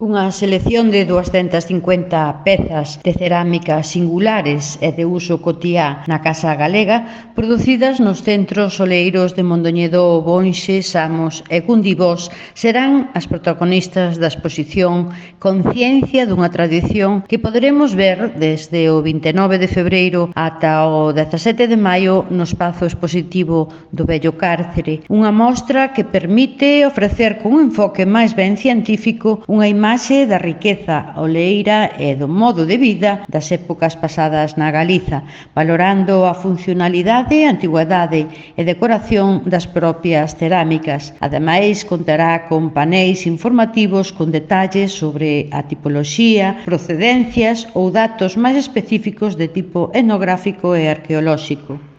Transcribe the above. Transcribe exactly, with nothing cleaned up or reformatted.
Unha selección de duascentas cincuenta pezas de cerámica singulares e de uso cotiá na Casa Galega, producidas nos centros oleiros de Mondoñedo, Bonxe, Samos e Gundibós, serán as protagonistas da exposición Conciencia dunha tradición que poderemos ver desde o vinte e nove de febreiro ata o dezasete de maio no espazo expositivo do Vello Cárcere, unha mostra que permite ofrecer con un enfoque máis ben científico unha imaxe da riqueza oleira e do modo de vida das épocas pasadas na Galiza, valorando a funcionalidade, antigüedade e decoración das propias cerámicas. Ademais, contará con paneis informativos con detalles sobre a tipoloxía, procedencias ou datos máis específicos de tipo etnográfico e arqueolóxico.